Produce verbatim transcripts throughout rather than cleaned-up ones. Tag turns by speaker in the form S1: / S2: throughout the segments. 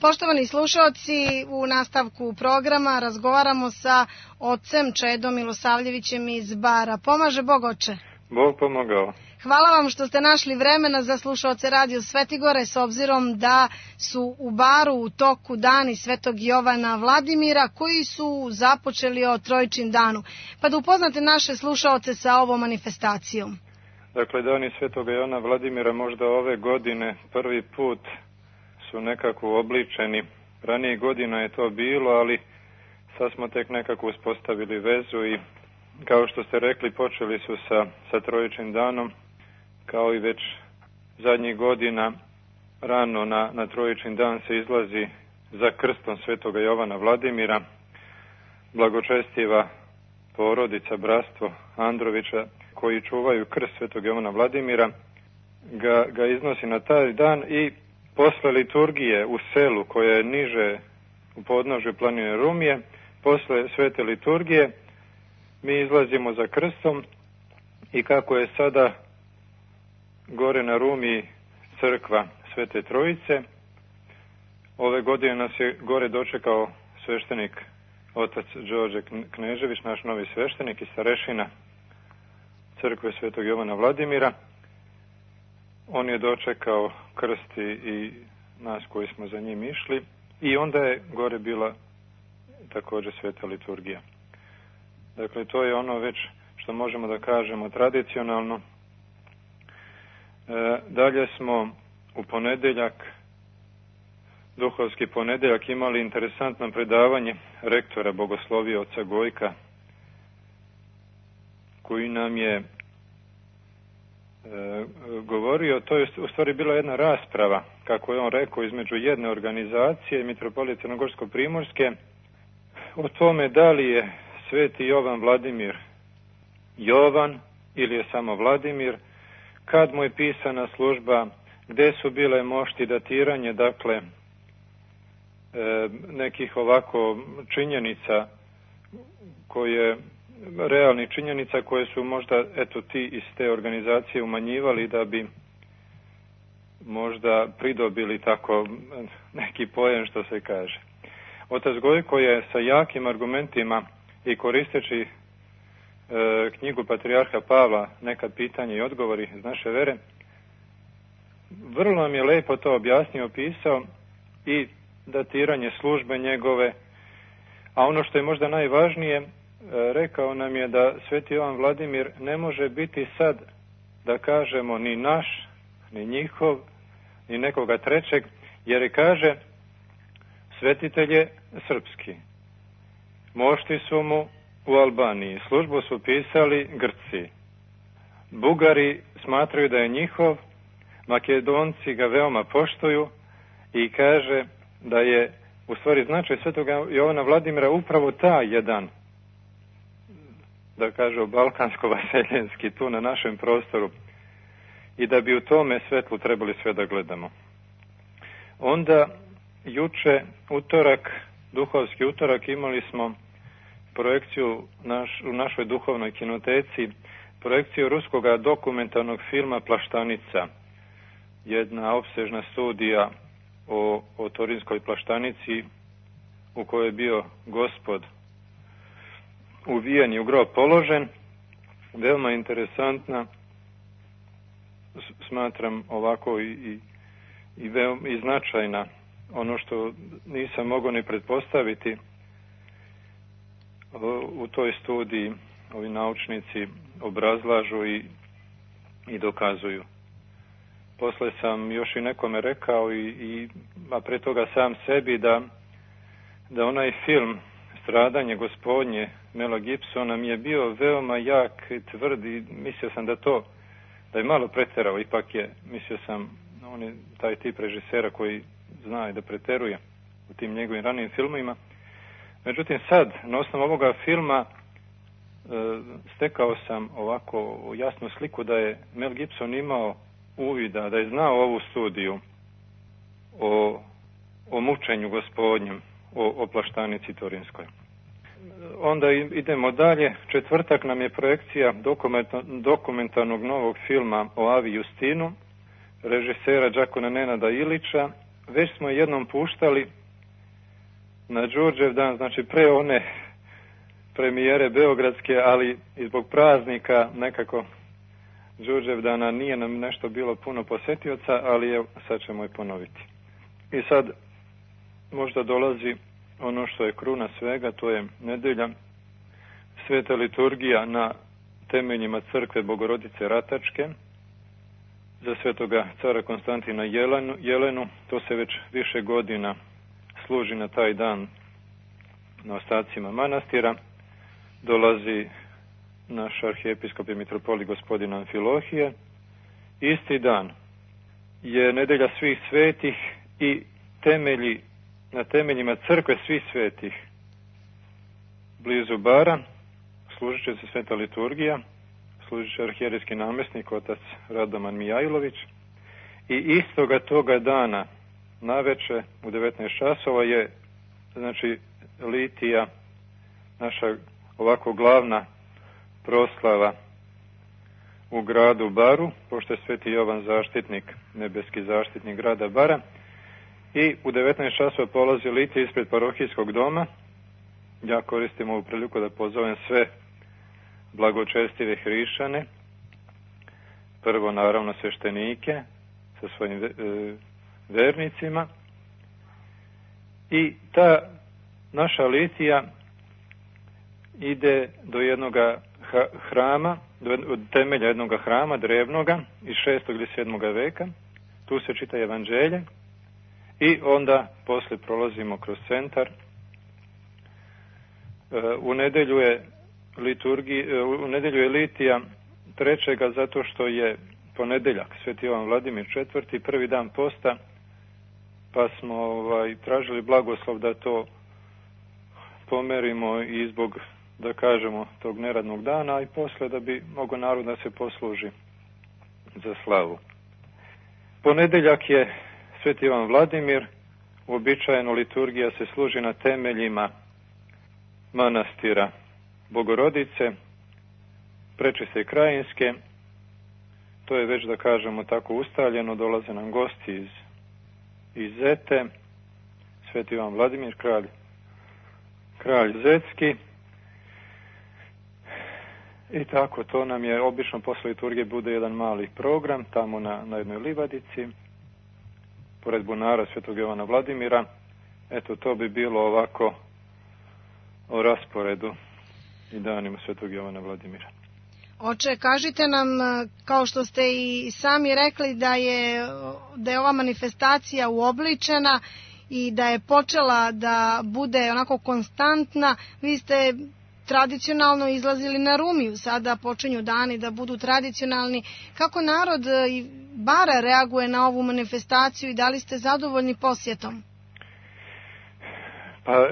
S1: Poštovani slušaoci, u nastavku programa razgovaramo sa ocem Čedom Milosavljevićem iz Bara. Pomaže Bog, oče?
S2: Bog pomogao.
S1: Hvala vam što ste našli vremena za slušaoce Radio Svetigore, s obzirom da su u Baru u toku dani Svetog Jovana Vladimira, koji su započeli o Trojičin danu. Pa da upoznate naše slušaoce sa ovom manifestacijom.
S2: Dakle, dani Svetog Jovana Vladimira možda ove godine prvi put su nekako uobličeni. Ranije godina je to bilo, ali sad smo tek nekako uspostavili vezu i kao što ste rekli, počeli su sa, sa Trojičnim danom, kao i već zadnjih godina rano na, na Trojičin dan se izlazi za krstom Svetoga Jovana Vladimira, blagočestiva porodica, bratstvo Androvića, koji čuvaju krst Svetog Jovana Vladimira, ga, ga iznosi na taj dan i posle liturgije u selu koje je niže u podnožju planine Rumije, posle svete liturgije mi izlazimo za krstom i kako je sada gore na Rumiji crkva Svete Trojice, ove godine nas je gore dočekao sveštenik otac Đorđe Knežević, naš novi sveštenik i starešina crkve Svetog Jovana Vladimira. On je dočekao krst i nas koji smo za njim išli i onda je gore bila također sveta liturgija. Dakle, to je ono već što možemo da kažemo tradicionalno. E, dalje smo u ponedeljak, duhovski ponedeljak, imali interesantno predavanje rektora bogoslovije oca Gojka, koji nam je e, govorio, to je u stvari bila jedna rasprava, kako je on rekao, između jedne organizacije, Mitropolije Crnogorsko-Primorske, o tome da li je Sveti Jovan Vladimir Jovan ili je samo Vladimir, kad mu je pisana služba, gde su bile mošti, datiranje, dakle, e, nekih ovako činjenica koje, realnih činjenica koje su možda, eto, ti iz te organizacije umanjivali da bi možda pridobili tako neki poen, što se kaže. Otac Gojko je sa jakim argumentima i koristeći e, knjigu Patrijarha Pavla, Neka pitanja i odgovori iz naše vere, vrlo nam je lepo to objasnio, opisao i datiranje službe njegove, a ono što je možda najvažnije, e, rekao nam je da Sveti Jovan Vladimir ne može biti sad, da kažemo, ni naš, ni njihov, ni nekoga trećeg, jer je, kaže, svetitelj je srpski. Mošti su mu u Albaniji, službu su pisali Grci. Bugari smatraju da je njihov, Makedonci ga veoma poštuju i kaže da je u stvari značaj Svetog Jovana Vladimira upravo ta jedan, da kažu, balkansko-vaseljenski, tu na našem prostoru, i da bi u tome svetlu trebali sve da gledamo. Onda juče, utorak, duhovski utorak, imali smo projekciju naš, u našoj duhovnoj kinoteci, projekciju ruskog dokumentarnog filma Plaštanica, jedna opsežna studija o, o Torinskoj Plaštanici, u kojoj je bio Gospod uvijen i u grob položen, veoma interesantna, smatram ovako i, i, i, veoma, i značajna, ono što nisam mogao ni pretpostaviti. U toj studiji ovi naučnici obrazlažu i, i dokazuju. Posle sam još i nekome rekao, i, i, a pre toga sam sebi, da, da onaj film Stradanje Gospodnje Mela Gibsona mi je bio veoma jak i tvrd i mislio sam da to, da je malo preterao, ipak je, mislio sam, on je taj tip režisera koji zna i da preteruje u tim njegovim ranijim filmovima. Međutim, sad, na osnovu ovoga filma, e, stekao sam ovako jasnu sliku da je Mel Gibson imao uvida, da je znao ovu studiju o, o mučenju Gospodnjem, o, o Plaštanici Torinskoj. Onda idemo dalje. Četvrtak nam je projekcija dokumentarnog novog filma o Avi Justinu, režisera Đakona Nenada Ilića, već smo jednom puštali na Đurđev dan, znači pre one premijere beogradske, ali i zbog praznika nekako Đurđev dana nije nam nešto bilo puno posjetioca, ali evo, sad ćemo i ponoviti. I sad možda dolazi ono što je kruna svega, to je nedelja, sveta liturgija na temeljima crkve Bogorodice Ratačke, za svetoga cara Konstantina Jelenu, Jelenu. To se već više godina služi na taj dan na ostacima manastira. Dolazi naš arhijepiskop i mitropolit gospodin Amfilohije. Isti dan je nedelja svih svetih i temelji, na temeljima crkve svih svetih blizu Bara služit će se sveta liturgija, služit će arhijerijski namjesnik otac Radoman Mijajlović i istoga toga dana naveče u devetnaest časova je znači litija, naša ovako glavna proslava u gradu Baru, pošto je sveti Jovan zaštitnik, nebeski zaštitnik grada Bara, i u devetnaest časova polazi litija ispred parohijskog doma. Ja koristim ovu priliku da pozovem sve blagočestive hrišćane, prvo naravno sveštenike sa svojim vernicima, i ta naša litija ide do jednoga hrama, od temelja jednoga hrama drevnoga iz šestog ili sedmoga veka. Tu se čita evanđelje i onda posle prolazimo kroz centar. U nedelju je liturgija, u nedelju je litija trećega zato što je ponedeljak, sveti Jovan Vladimir četvrti, prvi dan posta, pa smo ovaj, tražili blagoslov da to pomerimo i zbog, da kažemo, tog neradnog dana, i posle da bi mogo narod da se posluži za slavu. Ponedeljak je sveti Jovan Vladimir, uobičajeno liturgija se služi na temeljima manastira Bogorodice, Prečiste Krajinske. To je već, da kažemo, tako ustaljeno, dolaze nam gosti iz, iz Zete, sveti Jovan Vladimir, kralj, kralj Zetski. I tako, to nam je obično posle liturgije bude jedan mali program tamo na, na jednoj livadici, pored bunara svetog Jovana Vladimira. Eto, to bi bilo ovako o rasporedu i danima svetog Jovana Vladimira.
S1: Oče, kažite nam, kao što ste i sami rekli, da je, da je ova manifestacija uobličena i da je počela da bude onako konstantna. Vi ste tradicionalno izlazili na Rumiju, sada počinju dani da budu tradicionalni. Kako narod i Bara reaguje na ovu manifestaciju i da li ste zadovoljni posjetom?
S2: Pa,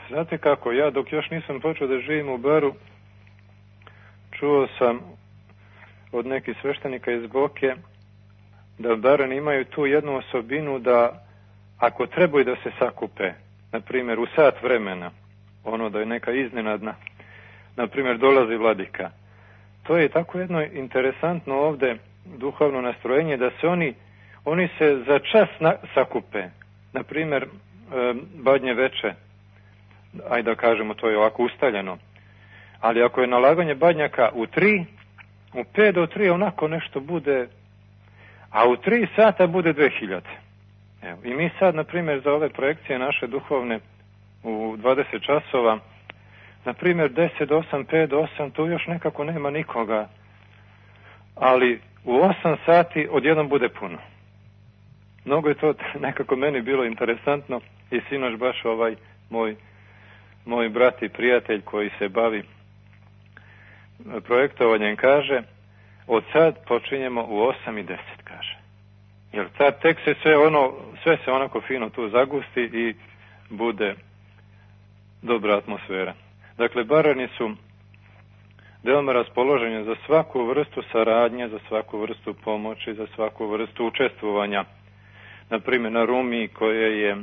S2: znate kako, ja dok još nisam počeo da živim u Baru, čuo sam od nekih sveštenika iz Boke da Barani imaju tu jednu osobinu da ako trebaju da se sakupe, na primjer u sat vremena, ono da je neka iznenadna, na primjer dolazi vladika. To je tako jedno interesantno ovde duhovno nastrojenje da se oni, oni se za čas na, sakupe. Na primjer, e, badnje veče, ajde da kažemo, to je ovako ustaljeno. Ali ako je nalaganje badnjaka u tri, u pet do tri onako nešto bude, a u tri sata bude dve hiljade. Evo, i mi sad, na primjer, za ove projekcije naše duhovne u dvadeset časova, na primjer deset do osam, pet do osam, tu još nekako nema nikoga, ali u osam sati odjednom bude puno. Mnogo je to nekako meni bilo interesantno i sinoć baš ovaj moj, moj brat i prijatelj koji se bavi projektovanjem kaže, od sad počinjemo u osam i deset, kaže. Jer sad tek se sve ono, sve se onako fino tu zagusti i bude dobra atmosfera. Dakle, Barani su veoma raspoloženi za svaku vrstu saradnje, za svaku vrstu pomoći, za svaku vrstu učestvovanja. Naprimjer, na Rumiji koje je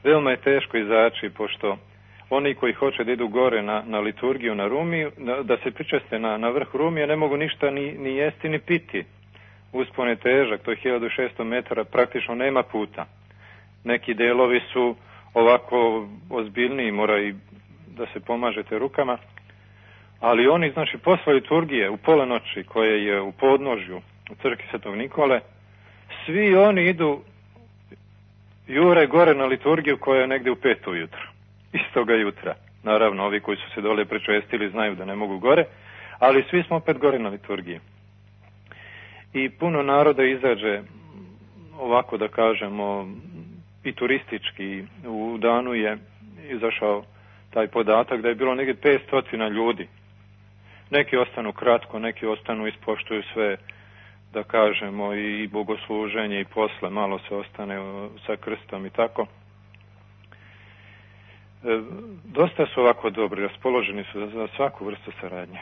S2: veoma je teško izaći, pošto oni koji hoće da idu gore na, na liturgiju na Rumiju, da, da se pričeste na, na vrh Rumije, ne mogu ništa ni, ni jesti ni piti. Uspon je težak, to je hiljadu šesto metara, praktično nema puta. neki delovi su ovako ozbiljniji, mora i da se pomažete rukama, ali oni, znači, posle liturgije u pola noći, koje je u podnožju u crkvi Svetog Nikole, svi oni idu jure gore na liturgiju koja je negde u pet ujutro, istoga jutra. Naravno, ovi koji su se dole prečestili znaju da ne mogu gore, ali svi smo opet gore na liturgiji. I puno naroda izađe, ovako da kažemo, i turistički. U danu je izašao taj podatak da je bilo negdje petsto ljudi. Neki ostanu kratko, neki ostanu, ispoštuju sve, da kažemo, i bogosluženje i posle, malo se ostane sa krstom i tako. E, dosta su ovako dobri, raspoloženi su za svaku vrstu saradnje.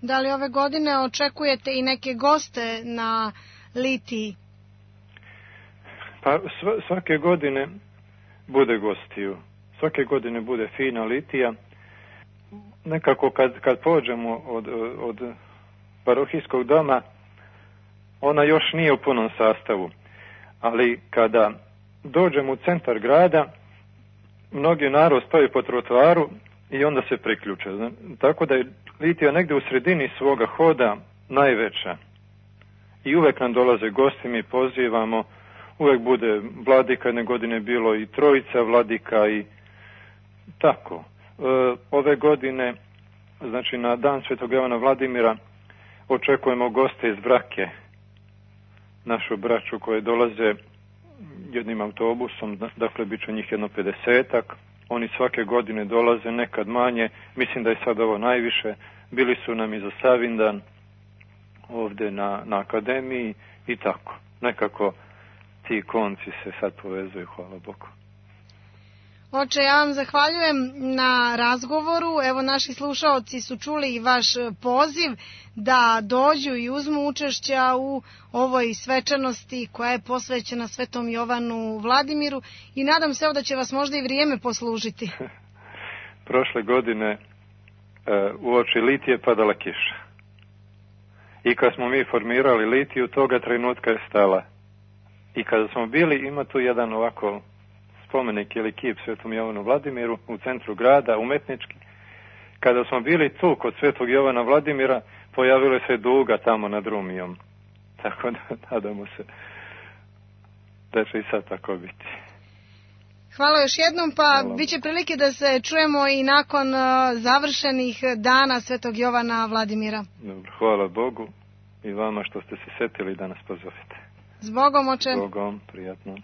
S1: Da li ove godine očekujete i neke goste na litiji?
S2: Pa svake godine bude gostiju. Svake godine bude fina litija. Nekako kad, kad pođemo od, od parohijskog doma, ona još nije u punom sastavu. Ali kada dođemo u centar grada, mnogi narod stoji po trotoaru i onda se priključe. Tako da je litija negdje u sredini svoga hoda najveća. I uvek nam dolaze gosti, mi pozivamo, uvek bude vladika, jedne godine bilo i trojica vladika i tako. E, ove godine, znači na dan Svetog Jovana Vladimira, očekujemo goste iz Vrake, našu braću koje dolaze jednim autobusom, dakle bit će njih jedno pedesetak. Oni svake godine dolaze, nekad manje, mislim da je sad ovo najviše. Bili su nam i za Savindan ovdje na, na akademiji i tako. Nekako ti konci se sad povezuju, hvala Bogu.
S1: Oče, ja vam zahvaljujem na razgovoru. Evo, naši slušaoci su čuli i vaš poziv da dođu i uzmu učešća u ovoj svečanosti koja je posvećena Svetom Jovanu Vladimiru i nadam se da će vas možda i vrijeme poslužiti.
S2: Prošle godine u oči litije padala kiša. I kad smo mi formirali litiju, toga trenutka je stala. I kada smo bili, ima tu jedan ovako spomenik ili kip Svetom Jovanu Vladimiru u centru grada, umetnički. Kada smo bili tu kod Svetog Jovana Vladimira, pojavila se duga tamo nad Rumijom. Tako da nadamo se da će i sad tako biti.
S1: Hvala još jednom, pa Hvala. Bit će prilike da se čujemo i nakon uh, završenih dana Svetog Jovana Vladimira.
S2: Dobro, hvala Bogu i vama što ste se setili da nas pozovete.
S1: S Bogom, oče.
S2: S Bogom, prijatno.